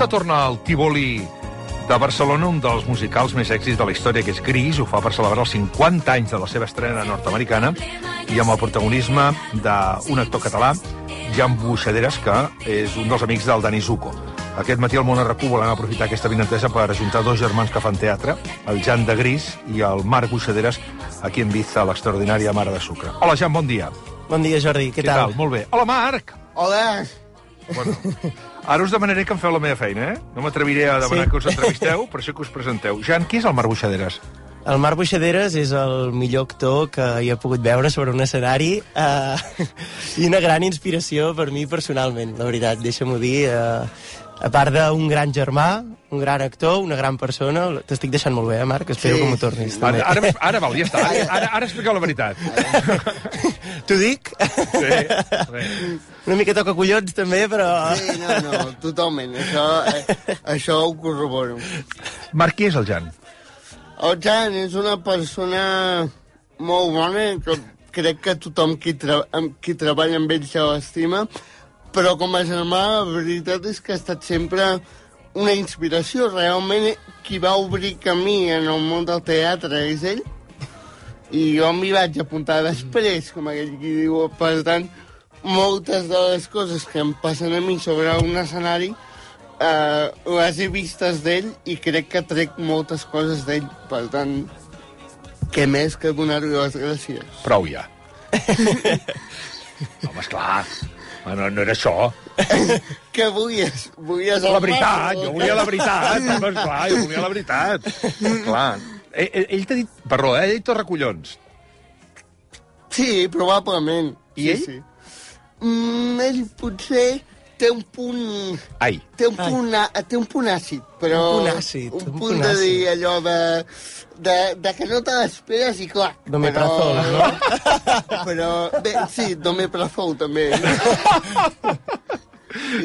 Aquesta torna al Tívoli de Barcelona, un dels musicals més èxits de la història, que és Gris. Ho fa per celebrar els 50 anys de la seva estrena nord-americana i amb el protagonisme d'un actor català, Jan Buixaderes, que és un dels amics del Dani Zuko. Aquest matí al Món RQ volem aprofitar aquesta vinentesa per ajuntar dos germans que fan teatre, el Jan de Gris i el Marc Buixaderes, aquí en Ibiza, a l'extraordinària Mare de Sucre. Hola, Jan, bon dia. Bon dia, Jordi, què tal? Molt bé. Hola, Marc! Hola! Bueno, ara us demanaré que em feu la meva feina, eh? No m'atreviré a demanar que us entrevisteu, per això que us presenteu. Jan, qui és el Marc Buixaderes? El Marc Buixaderes és el millor actor que hi he pogut veure sobre un escenari i una gran inspiració per mi personalment, la veritat, deixa-m'ho dir. A part d'un gran germà, un gran actor, una gran persona, t'estic deixant molt bé, Marc? Espero que m'ho tornis. Ara val, ja està. Ara expliqueu la veritat. T'ho dic? Sí. Una mica toca collons, també, però... Sí, no, totalment. Això ho corroboro. Marc, qui és el Jan? El Jan és una persona molt bona, que crec que tothom qui treballa amb ell se l'estima, però com a germà, la veritat és que ha estat sempre una inspiració. Realment, qui va obrir camí en el món del teatre és ell, i jo m'hi vaig apuntar després, com aquell qui diu. Per tant, moltes de les coses que em passen a mi sobre un escenari les he vistes d'ell i crec que trec moltes coses d'ell. Per tant, què més que donar-li les gràcies? Prou ja. Home, esclar. No era això. Què volies? Volies la veritat, jo volia la veritat. Home, esclar, jo volia la veritat. Clar. Ell t'ha dit... Perdó, ell t'ha recollons. Sí, probablement. I ell? Sí. Ell potser té un punt... Ai. Té un punt àcid, però... Un punt àcid. Un punt de dir allò de que no te l'esperes i clar. Domeprazol, no? Però, bé, sí, domeprazol també.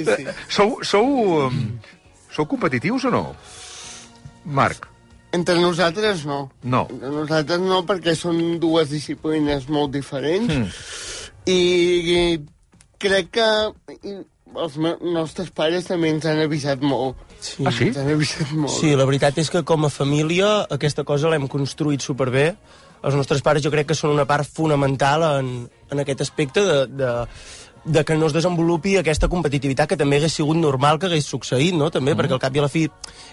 Sí. Sou competitius o no? Marc? Entre nosaltres no. No. Entre nosaltres no, perquè són dues disciplines molt diferents. I crec que els nostres pares també ens han avisat molt. Sí. Ah, sí? Ens han avisat molt. Sí, la veritat és que com a família aquesta cosa l'hem construït superbé. Els nostres pares jo crec que són una part fonamental en aquest aspecte de que no es desenvolupi aquesta competitivitat, que també hagués sigut normal que hagués succeït, no? També, perquè al cap i a la fi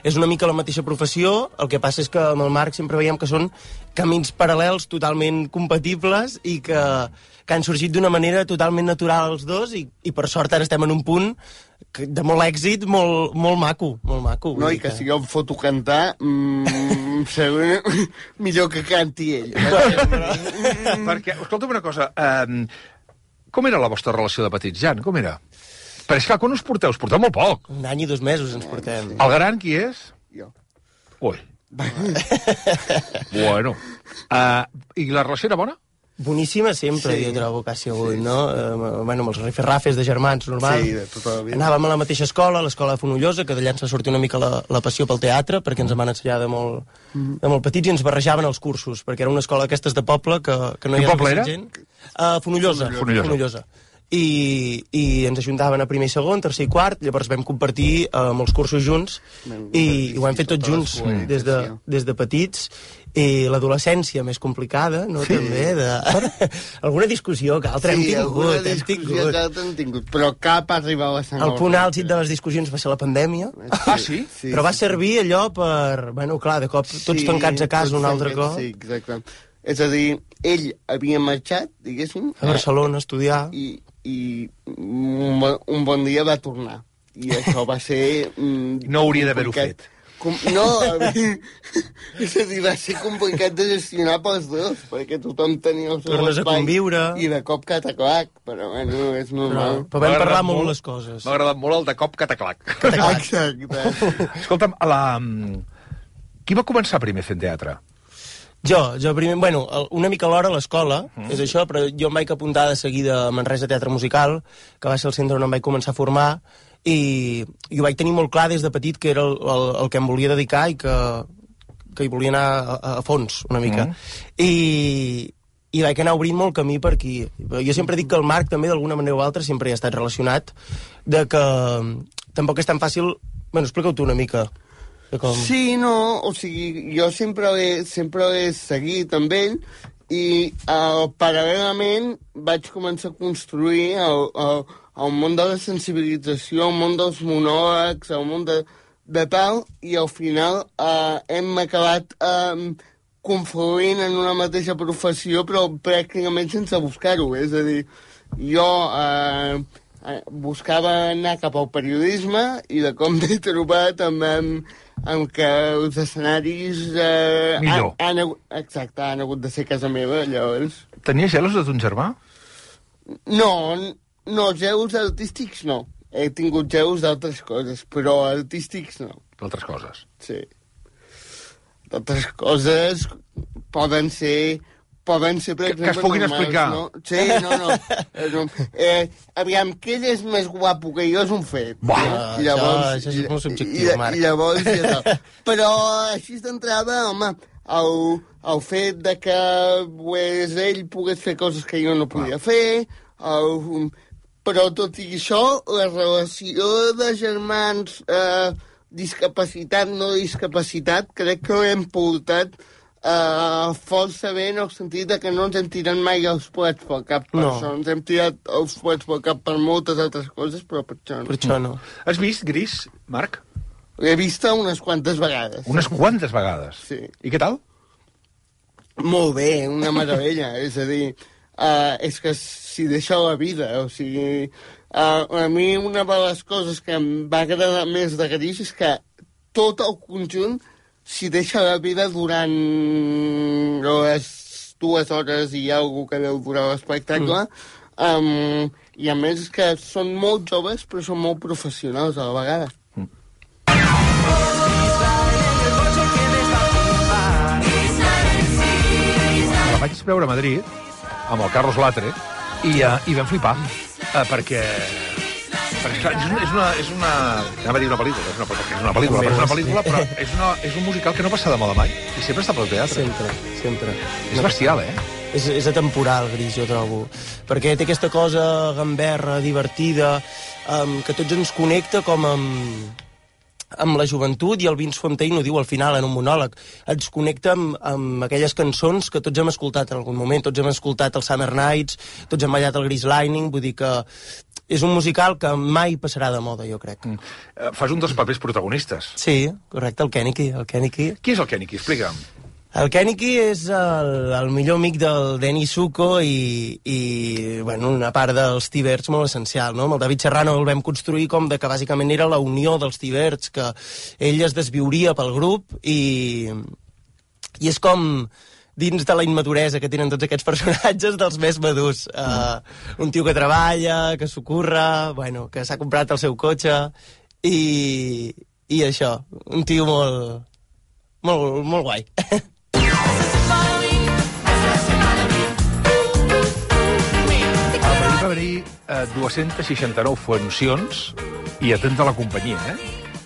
és una mica la mateixa professió. El que passa és que amb el Marc sempre veiem que són camins paral·lels totalment compatibles i que han sorgit d'una manera totalment natural els dos i per sort ara estem en un punt de molt èxit, molt maco, molt maco. No, i que si jo em foto cantar, segur millor que canti ell. Perquè, escolta'm una cosa, com era la vostra relació de petits, Jan? Com era? Però és que quan us porteu? Us porteu molt poc. Un any i 2 mesos ens portem. El gran qui és? Jo. Ui. Bueno. I la relació era bona? Boníssima sempre, Sí. jo trobo, quasi avui, no? Bueno, amb els rifes-rafes de germans, normal. Sí, de tota la vida. Anàvem a la mateixa escola, l'escola de Fonollosa, que d'allà ens va sortir una mica la passió pel teatre, perquè ens en van ensenyar de molt petits i ens barrejaven els cursos, perquè era una escola d'aquestes de poble que no hi ha poble era? gent. Fonollosa. I ens ajuntaven a primer i segon, tercer i quart, llavors vam compartir molts cursos junts i ho hem fet tots junts des de petits. I l'adolescència més complicada, no? Sí. També, alguna discussió que altra hem alguna tingut. discussió que altra hem tingut, però cap arriba a la sang. El punt àlgid de les discussions va ser la pandèmia, Ah, sí? però va servir allò per... Bueno, clar, de cop tots tancats a casa un altre cop. Sí, exacte. És a dir, ell havia marxat, diguéssim, A Barcelona a estudiar. i un bon dia va tornar. I això va ser... No hauria d'haver-ho fet. No, és a dir, va ser complicat de gestionar pels dos, perquè tothom tenia el seu Tornes a espai conviure. i de cop cataclac, però bueno, és normal. Però vam parlar molt les coses. M'ha agradat molt el de cop cataclac. Exacte. Escolta'm, qui va començar primer fent teatre? Jo primer, bueno, una mica alhora a l'escola, és això, però jo em vaig apuntar de seguida a Manresa Teatre Musical, que va ser el centre on em vaig començar a formar, i ho vaig tenir molt clar des de petit que era el que em volia dedicar i que hi volia anar a fons, una mica. I vaig anar obrint molt camí per aquí. Jo sempre dic que el Marc també, d'alguna manera o altra, sempre hi ha estat relacionat, de que tampoc és tan fàcil Bueno, explica-ho tu una mica. Com... Sí, no, o sigui, jo sempre l'he seguit amb ell i paral·lelament vaig començar a construir el món de la sensibilització, el món dels monòlegs, el món de tal, i al final hem acabat confluint en una mateixa professió, però pràcticament sense buscar-ho. És a dir, jo buscava anar cap al periodisme i de com m'he trobat amb que els escenaris han hagut de ser casa meva, llavors. Tenies gelos de ton germà? No, gelos artístics no. He tingut gelos d'altres coses, però artístics no. D'altres coses? Sí. D'altres coses poden ser, per exemple, que es puguin normals, explicar. No? Sí, no. Aviam, que ell és més guapo que jo és un fet. Llavors, això és molt subjectiu, Marc. Llavors, ja tal. Però així d'entrada, home, el fet de que pues, ell pogués fer coses que jo no podia fer, però tot i això, la relació de germans, discapacitat, no discapacitat, crec que l'hem portat força bé en el sentit que no ens hem tirat mai els plats pel cap per això. Ens hem tirat els plats pel cap per moltes altres coses, però per això no. Per això no. Has vist Gris, Marc? L'he vista unes quantes vegades. Unes quantes vegades? Sí. I què tal? Molt bé, una meravella. És a dir, és que s'hi deixa la vida. O sigui, a mi una de les coses que em va agradar més de Gris és que tot el conjunt s'hi deixa la vida durant les 2 hores i alguna que deu durar l'espectacle. I a més que són molt joves però són molt professionals a la vegada. La vaig veure a Madrid amb el Carlos Latre i vam flipar perquè és una... Anava a dir una pel·lícula, és una pel·lícula, però és un musical que no passa de moda mai i sempre està pel teatre. Sempre. És bestial, eh? És atemporal, Gris, jo trobo. Perquè té aquesta cosa gamberra, divertida, que tots ens connecta com amb la joventut, i el Vince Fontaine ho diu al final en un monòleg. Ens connecta amb aquelles cançons que tots hem escoltat en algun moment. Tots hem escoltat el Summer Nights, tots hem ballat el Grease Lightning, vull dir que és un musical que mai passarà de moda, jo crec. Fas un dels papers protagonistes. Sí, correcte, el Kenicky. Qui és el Kenicky? Explica'm. El Kenicky és el millor amic del Denny Zuko i bueno, una part dels T-Birds molt essencial, no? Amb el David Serrano el vam construir com de que bàsicament era la unió dels T-Birds, que ell es desviuria pel grup i és com dins de la immaduresa que tenen tots aquests personatges dels més madurs. Un tio que treballa, que s'ho curra, bueno, que s'ha comprat el seu cotxe i això, un tio molt guai. Va haver-hi 269 funcions i atenta a la companyia,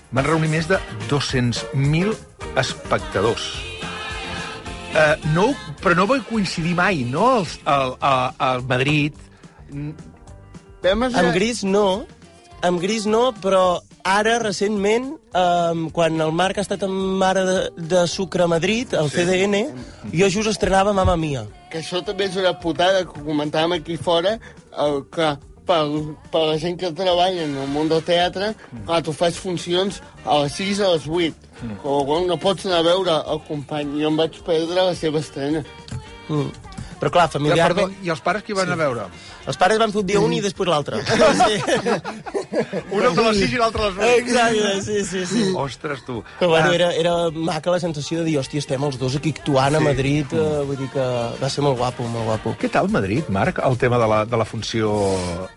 Van reunir més de 200.000 espectadors. Però no va coincidir mai, no? Al Madrid. Amb Gris no, però ara, recentment, quan el Marc ha estat amb Mare de Sucre a Madrid, al CDN, jo just estrenava Mamma Mia. Que això també és una putada que comentàvem aquí fora, que per la gent que treballa en el món del teatre, clar, tu fas funcions a les 6 a les 8. No pots anar a veure el company. Jo em vaig perdre la seva estrena. Però clar, familiarment... I els pares qui van a veure? Els pares van fer un dia un i després l'altre. Un a les 6 i l'altre a les 8. Exacte, sí. Ostres, tu. Però bueno, era maca la sensació de dir, hòstia, estem els dos aquí actuant a Madrid, vull dir que va ser molt guapo, molt guapo. Què tal Madrid, Marc, el tema de la funció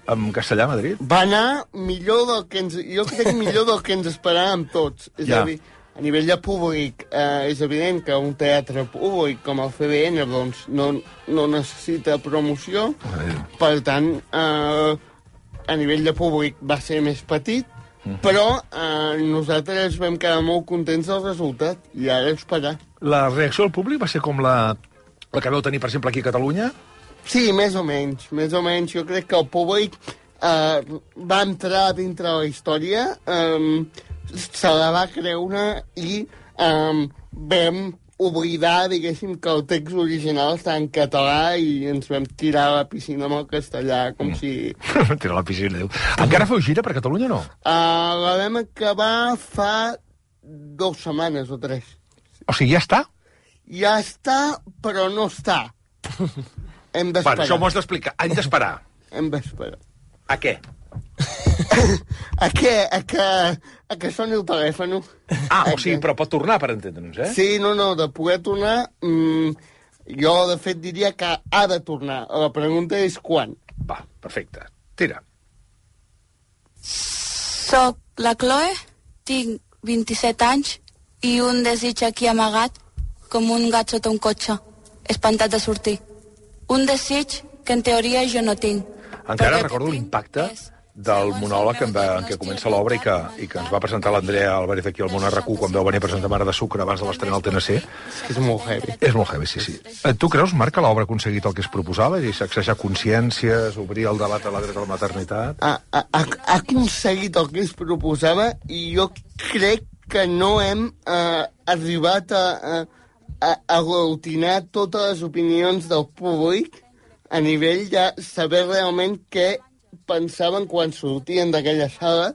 en castellà a Madrid? Va anar millor del que jo crec millor del que ens esperàvem tots. És a dir, a nivell de públic, és evident que un teatre públic com el CBN doncs, no necessita promoció. Per tant, a nivell de públic va ser més petit, però nosaltres vam quedar molt contents del resultat, i ara esperar. La reacció del públic va ser com la que vau tenir, per exemple, aquí a Catalunya? Sí, més o menys. Jo crec que el públic va entrar dintre la història. se la va creure i vam oblidar, diguéssim, que el text original està en català i ens vam tirar a la piscina amb el castellà, com si... Tirar a la piscina, Déu. Encara feu gira per Catalunya o no? La vam acabar fa 2 setmanes o 3. O sigui, ja està? Ja està, però no està. Hem d'esperar. Bueno, això m'ho has d'explicar. Hem d'esperar. Hem d'esperar. A què? A què? A que soni el telèfon. O sigui, però pot tornar, per entendre'ns, eh? Sí, no, de poder tornar... jo, de fet, diria que ha de tornar. La pregunta és quan. Va, perfecte. Tira. Soc la Chloe, tinc 27 anys i un desig aquí amagat com un gat sota un cotxe, espantat de sortir. Un desig que en teoria jo no tinc. Encara recordo l'impacte del monòleg en què comença l'obra i que ens va presentar l'Andrea Álvarez aquí al Món RQ quan vau venir a presentar Mare de Sucre abans de l'estrena al TNC. És molt heavy. És molt heavy, sí. Tu creus, Marc, que l'obra ha aconseguit el que es proposava? És sacsejar consciències, obrir el debat a la dreta a la maternitat? Ha aconseguit el que es proposava i jo crec que no hem arribat a aglutinar totes les opinions del públic a nivell de saber realment què pensaven quan sortien d'aquella sala,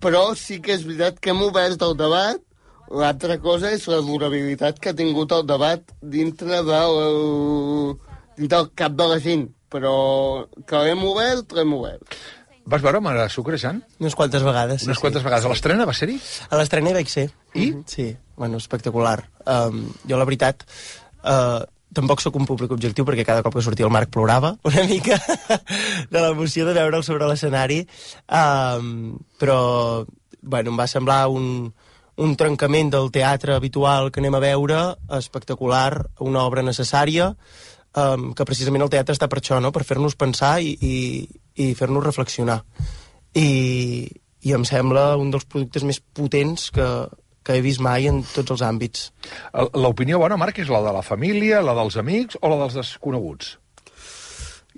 però sí que és veritat que hem obert el debat. L'altra cosa és la durabilitat que ha tingut el debat dintre del cap de la gent, però que l'hem obert. Vas veure Mare de Sucre, Jan? Unes quantes vegades. Unes quantes vegades. A l'estrena va ser-hi? A l'estrena hi vaig ser. I? Sí, bueno, espectacular. Jo, la veritat, tampoc sóc un públic objectiu perquè cada cop que sortia el Marc plorava una mica de l'emoció de veure'l sobre l'escenari, però bueno, em va semblar un trencament del teatre habitual que anem a veure, espectacular, una obra necessària, que precisament el teatre està per això, no? Per fer-nos pensar i fer-nos reflexionar. I em sembla un dels productes més potents que he vist mai en tots els àmbits. L'opinió bona, Marc, és la de la família, la dels amics o la dels desconeguts?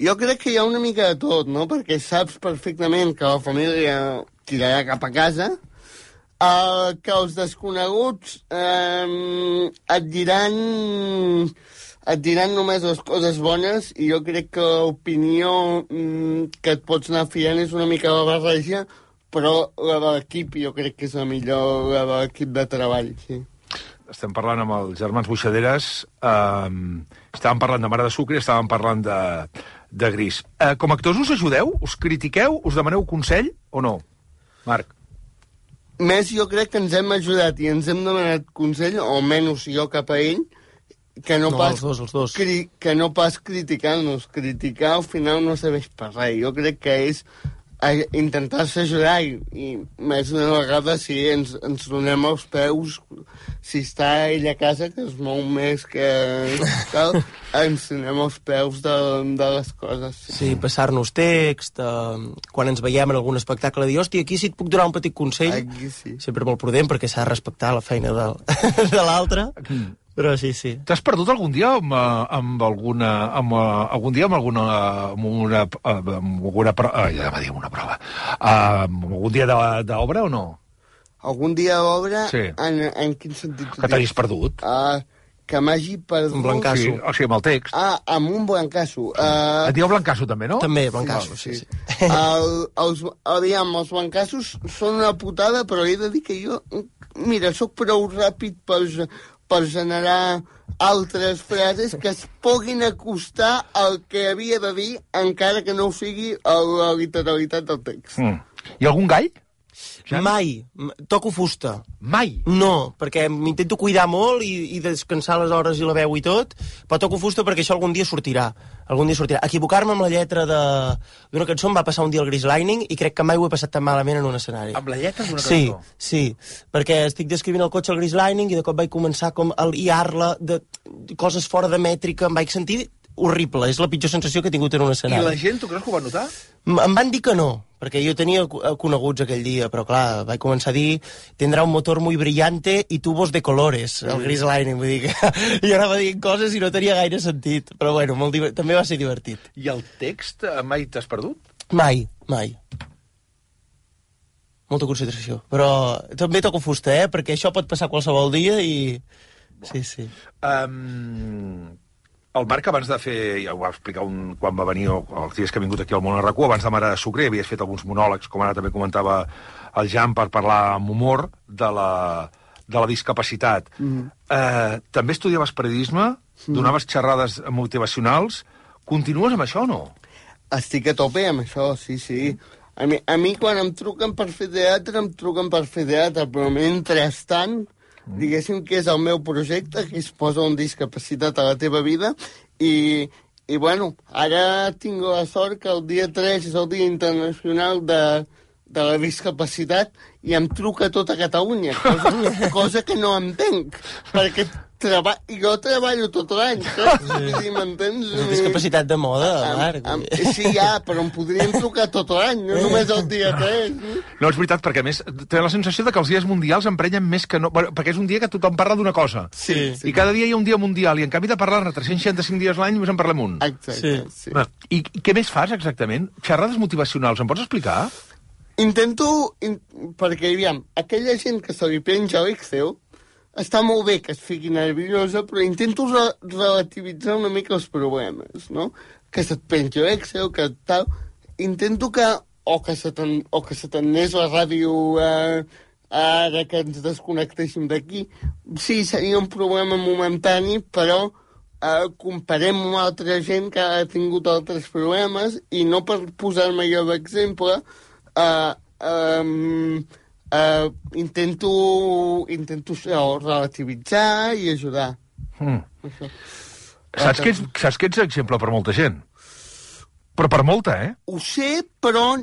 Jo crec que hi ha una mica de tot, no? Perquè saps perfectament que la família tirarà cap a casa, que els desconeguts et diran només les coses bones, i jo crec que l'opinió que et pots anar fiant és una mica la barreja, però la de l'equip jo crec que és la millor, la de l'equip de treball, sí. Estem parlant amb els germans Buixaderes, estàvem parlant de Mare de Sucre, estàvem parlant de Gris. Com a actors us ajudeu? Us critiqueu? Us demaneu consell o no? Marc? Més jo crec que ens hem ajudat i ens hem demanat consell, o almenys jo cap a ell, que no pas, els dos. Que no pas criticar-nos. Criticar al final no serveix per res. Jo crec que és intentar-se ajudar i més d'una vegada si ens donem els peus, si està ell a casa, que es mou més que tal, ens donem els peus de les coses. Sí, passar-nos text, quan ens veiem en algun espectacle, dir, hòstia, aquí sí et puc donar un petit consell. Aquí sí. Sempre molt prudent, perquè s'ha de respectar la feina de l'altre. Però sí. T'has perdut algun dia amb alguna prova? Algun dia d'obra o no? Algun dia d'obra? Sí. En quin sentit? Que t'hagis perdut? Que m'hagi perdut... Un blancasso. Sí, o sigui, amb el text. Amb un blancasso. Et dieu blancasso, també, no? També, blancasso, sí. Els blancassos són una putada, però he de dir que jo... Mira, sóc prou ràpid per generar altres frases que es puguin acostar al que havia de dir, encara que no sigui la literalitat del text. I algun gall? Mai. Toco fusta. Mai? No, perquè m'intento cuidar molt i descansar les hores i la veu i tot, però toco fusta perquè això algun dia sortirà. Equivocar-me amb la lletra d'una cançó em va passar un dia al Grease Lightning i crec que mai ho he passat tan malament en un escenari. Amb la lletra d'una cançó? Sí, perquè estic descrivint el cotxe al Grease Lightning i de cop vaig començar com a liar-la de coses fora de mètrica, em vaig sentir horrible, és la pitjor sensació que he tingut en un escenari. I la gent, tu creus que ho va notar? Em van dir que no, perquè jo tenia coneguts aquell dia, però clar, vaig començar a dir tindrà un motor muy brillante y tubos de colores, el Grease Lightning, vull dir que jo anava dient coses i no tenia gaire sentit, però bueno, també va ser divertit. I el text mai t'has perdut? Mai. molta concentració. Però també toco fusta, perquè això pot passar qualsevol dia i... Sí. El Marc, abans de fer... Ja ho va explicar quan va venir, o els dies que ha vingut aquí al Món a RAC1, abans de Mare de Sucre, havies fet alguns monòlegs, com ara també comentava el Jan, per parlar amb humor de la discapacitat. També estudiaves periodisme, donaves xerrades motivacionals. Continues amb això o no? Estic a tope amb això, sí. A mi quan em truquen per fer teatre, però mentrestant, diguéssim que és el meu projecte, que es posa una discapacitat a la teva vida, i bueno, ara tinc la sort que el dia 3 és el Dia Internacional de la Discapacitat i em truca tota Catalunya, cosa que no entenc, perquè jo treballo tot l'any, saps? M'entens? És discapacitat de moda, Marc. Sí, però em podrien trucar tot l'any, no només el dia 3. No, és veritat, perquè a més té la sensació de que els dies mundials emprenyen més que no... Perquè és un dia que tothom parla d'una cosa. Sí. I cada dia hi ha un dia mundial, i en canvi de parlar-ne 365 dies l'any només en parlem un. Exacte, sí. I què més fas, exactament? Xerrades motivacionals, em pots explicar? Perquè, aviam, aquella gent que se li penja a l'Excel, està molt bé que es fiqui nerviosa, però intento relativitzar una mica els problemes, no? Que se't penja l'Excel, que tal... Intento que... O que se t'anés la ràdio ara que ens desconnectéssim d'aquí. Sí, seria un problema momentani, però comparem amb altra gent que ha tingut altres problemes i no per posar-me jo d'exemple... intento relativitzar i ajudar. Saps que ets exemple per molta gent? Però per molta, Ho sé, però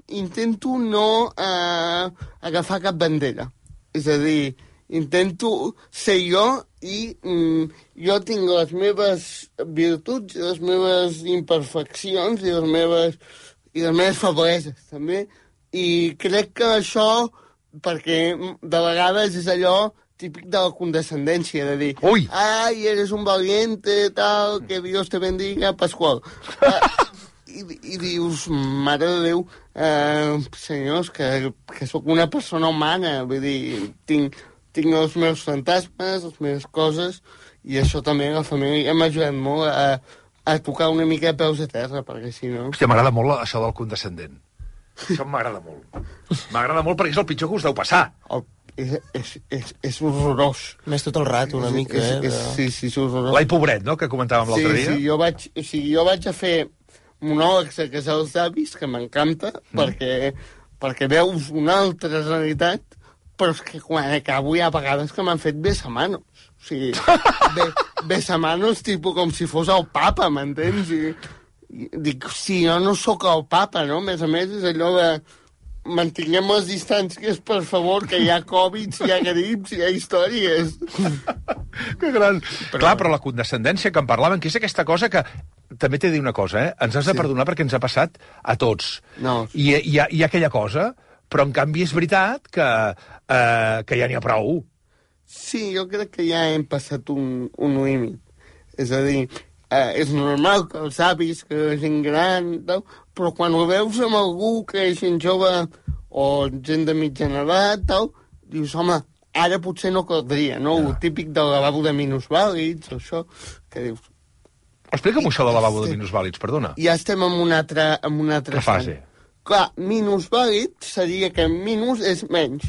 intento no agafar cap bandera. És a dir, intento ser jo i jo tinc les meves virtuts i les meves imperfeccions i les meves febleses, també. I crec que això, perquè de vegades és allò típic de la condescendència, de dir, ai, eres un valiente, tal, que Dios te bendiga, Pasqual. I dius, mare de Déu, senyors, que sóc una persona humana, vull dir, tinc els meus fantasmes, les meves coses, i això també la família m'ha ajudat molt a tocar una mica de peus a terra, perquè si no... Hòstia, m'agrada molt això del condescendent. Això m'agrada molt. M'agrada molt perquè és el pitjor que us deu passar. És horrorós. Més tot el rato, una mica, Sí, és horrorós. L'ai pobret, no?, que comentàvem l'altre dia. Sí, jo vaig a fer monòlegs a casar els avis, que m'encanta, perquè veus una altra realitat, però és que quan acabo hi ha vegades que m'han fet besamanos. O sigui, besamanos tipus com si fos el papa, m'entens? I dic, sí, jo no sóc el papa, no? A més, és allò de mantinguem les distàncies, per favor, que hi ha Covid, hi ha grips, hi ha històries. Que gran. Clar, però la condescendència que en parlaven, que és aquesta cosa que... També t'he de dir una cosa, ens has de perdonar perquè ens ha passat a tots. No. I hi ha aquella cosa, però en canvi és veritat que ja n'hi ha prou. Sí, jo crec que ja hem passat un límit. És a dir, és normal que els avis, que la gent gran, tal, però quan ho veus amb algú que és gent jove o gent de mitjana edat, tal, dius, home, ara potser no caldria, no? El típic del lavabo de minusvàlids, o això, que dius... Explica'm això del lavabo de minusvàlids, perdona. Ja estem en una altra fase. Clar, minusvàlid seria que minus és menys,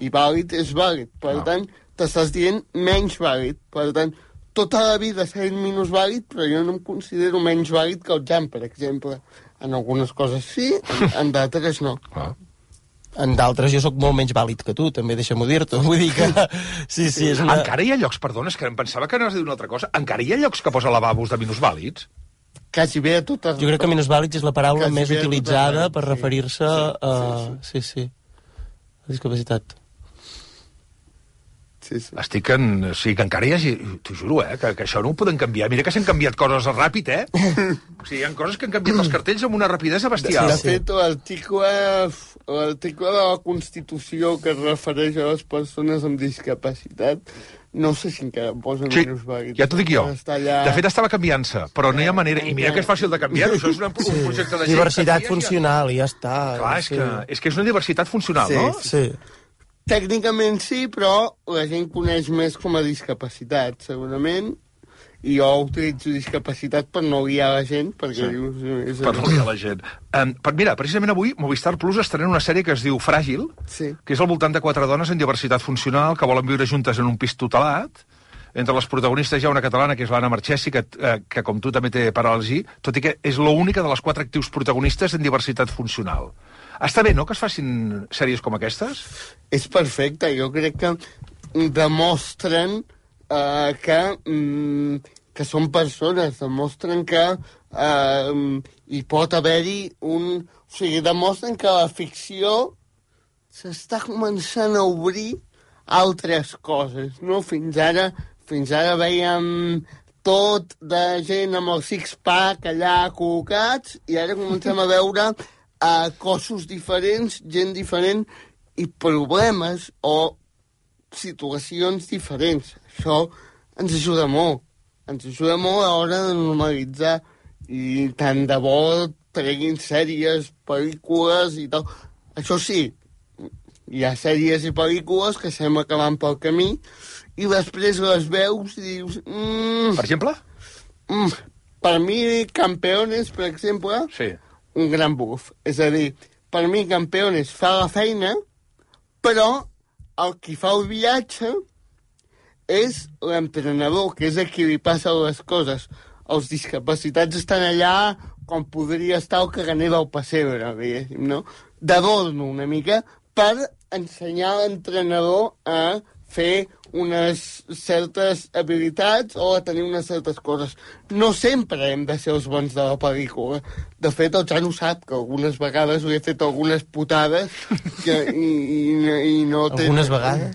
i vàlid és vàlid. Per tant, t'estàs dient menys vàlid. Per tant, tota la vida sent minusvàlid, però jo no em considero menys vàlid que el Jan, per exemple. En algunes coses sí, en d'altres no. En d'altres jo sóc molt menys vàlid que tu, també deixa-m'ho dir-te. Vull dir que... Sí, és una... Encara hi ha llocs, perdona, és que em pensava que anaves a dir una altra cosa, encara hi ha llocs que posa lavabos de minusvàlids? Quasi bé a totes... Jo crec que minusvàlids és la paraula més utilitzada per referir-se a... Sí. La discapacitat. Sí. Estic en... O sigui, que encara hi hagi... T'ho juro, que això no ho podem canviar. Mira que s'han canviat coses ràpid, O sigui, hi ha coses que han canviat els cartells amb una rapidesa bestial. De fet, l'article de la Constitució que es refereix a les persones amb discapacitat No sé si encara posen Sí, minusvàlid. ja t'ho dic jo. Allà... De fet, estava canviant-se, però no hi ha manera. I mira que és fàcil de canviar-ho, això és un projecte de gent. Diversitat funcional, i ja està. Clar, és que és una diversitat funcional, Sí, no? Sí. Tècnicament sí, però la gent coneix més com a discapacitat, segurament, i jo utilitzo discapacitat per no guiar la gent, perquè dius... Per no guiar la gent. Mira, precisament avui Movistar Plus estrena una sèrie que es diu Fràgil, que és al voltant de 4 dones en diversitat funcional que volen viure juntes en un pis tutelat. Entre les protagonistes hi ha una catalana, que és l'Anna Marchesi, que com tu també té paràlisi, tot i que és l'única de les 4 actius protagonistes en diversitat funcional. Està bé, no?, que es facin sèries com aquestes? És perfecte, jo crec que demostren que són persones, demostren que hi pot haver-hi un... O sigui, demostren que la ficció s'està començant a obrir altres coses, no? Fins ara veiem tot de gent amb el six-pack allà col·locats i ara comencem a veure cossos diferents, gent diferent i problemes o situacions diferents. Això ens ajuda molt. Ens ajuda molt a l'hora de normalitzar i tant de bo treguin sèries, pel·lícules i tal. Això sí, hi ha sèries i pel·lícules que sembla que van pel camí i després les veus i dius... Per exemple? Per mi, Campeones, per exemple, sí. Un gran buf. És a dir, per mi, Campeones fa la feina, però el qui fa el viatge és l'entrenador, que és a qui li passen les coses. Els discapacitats estan allà com podria estar el caganer del pessebre, diguéssim, no? D'adorno una mica per ensenyar l'entrenador a fer unes certes habilitats o a tenir unes certes coses. No sempre hem de ser els bons de la pel·lícula. De fet, el Jan ho sap, que algunes vegades li he fet algunes putades i no té... Algunes vegades?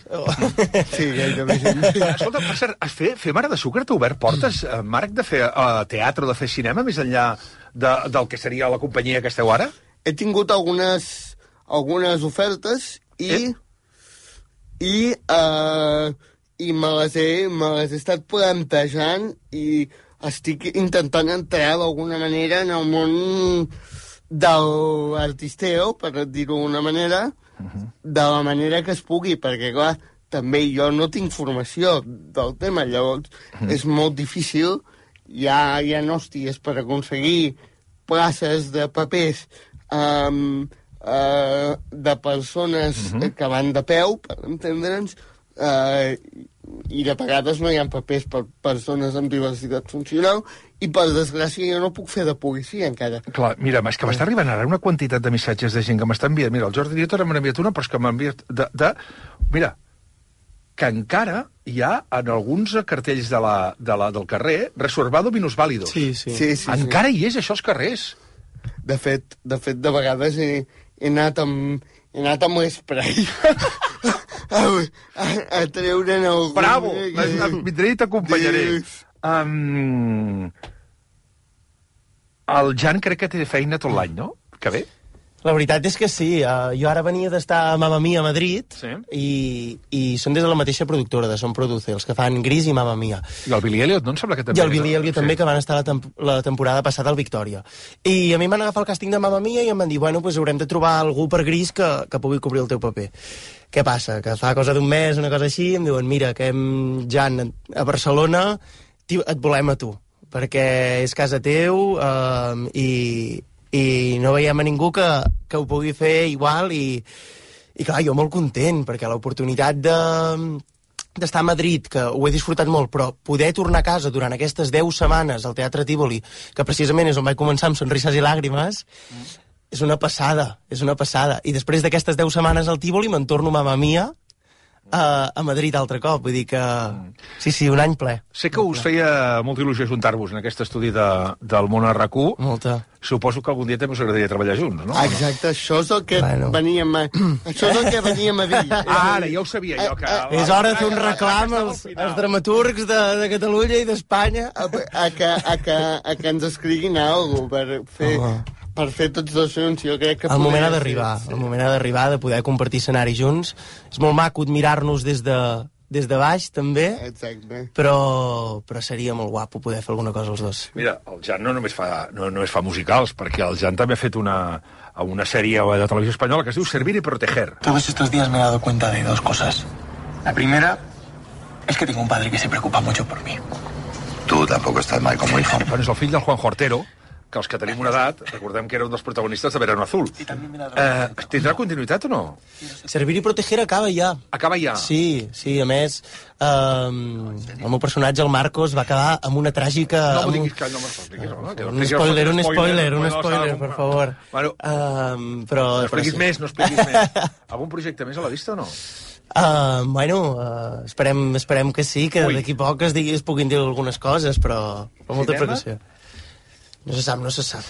Sí, gairebé. Escolta, per cert, fer Mare de Sucre t'ha obert portes, Marc, de fer teatre o de fer cinema, més enllà del que seria la companyia que esteu ara? He tingut algunes ofertes i me les he estat plantejant i estic intentant entrar d'alguna manera en el món de l'artisteo, per dir-ho d'una manera, de la manera que es pugui, perquè, clar, també jo no tinc formació del tema, llavors és molt difícil, hi ha hòsties per aconseguir places de papers de persones que van de peu, per entendre'ns, i de vegades no hi ha papers per persones amb diversitat funcional i, per desgràcia, jo no puc fer de policia encara. Clar, mira, és que m'està arribant ara una quantitat de missatges de gent que m'està enviant. Mira, el Jordi Nieto m'ha enviat una, però és que m'ha enviat mira, que encara hi ha en alguns cartells del carrer reservado minusválidos. Sí. Encara hi és, això, als carrers. De fet, de vegades he anat amb l'esprai a treure'n algun... Bravo! Vindré i t'acompanyaré. El Jan crec que té feina tot l'any, no? Que bé? La veritat és que sí. Jo ara venia d'estar a Mamma Mia a Madrid i són des de la mateixa productora, de Son Produce, els que fan Gris i Mamma Mia. I el Billy Elliot, no? Em sembla que també... I el Billy Elliot també, que van estar la temporada passada al Victòria. I a mi m'han agafat el càsting de Mamma Mia i em van dir, bueno, pues haurem de trobar algú per Gris que pugui cobrir el teu paper. Què passa? Que fa cosa d'un mes, una cosa així, em diuen, mira, que Jan, a Barcelona et volem a tu, perquè és casa teu i no veiem a ningú que ho pugui fer igual i clar, jo molt content, perquè l'oportunitat d'estar a Madrid, que ho he disfrutat molt, però poder tornar a casa durant aquestes 10 setmanes al Teatre Tívoli, que precisament és on vaig començar amb Sonrises i Làgrimes, és una passada. I després d'aquestes 10 setmanes al Tívoli me'n torno Mamma Mia a Madrid altre cop, vull dir que... Sí, un any ple. Sé que us feia molta il·lusió juntar-vos en aquest estudi del món RAC1. Molta. Suposo que algun dia també us agradaria treballar junts, no? Exacte, això és el que veníem a dir. Ara, ja ho sabia jo. Que... És hora de fer un reclam als dramaturgs de Catalunya i d'Espanya. A que ens escriguin alguna cosa per fer tots dos junts, jo crec que... El moment ha d'arribar, de poder compartir escenari junts. És molt maco admirar-nos des des de baix, també, Exacte. però seria molt guapo poder fer alguna cosa els dos. Mira, el Jan no només fa musicals, perquè el Jan també ha fet una sèrie de televisió espanyola que es diu Servir y Proteger. Todos estos días me he dado cuenta de dos cosas. La primera es que tengo un padre que se preocupa mucho por mí. Tú tampoco estás mal como hijo. Bueno, és el fill del Juan Hortero, que els que tenim una edat, recordem que era un dels protagonistes de Verano Azul. Tindrà continuïtat o no? Servir i proteger acaba ja. Acaba ja? Sí, a més, el meu personatge, el Marcos, va acabar amb una tràgica... No m'ho diguis que no m'expliquis, home. Un spoiler, per favor. Bueno, però... No expliquis més. Algun projecte més a la vista o no? Esperem que sí, que d'aquí poc es puguin dir algunes coses, però amb molta precaució. No se sap.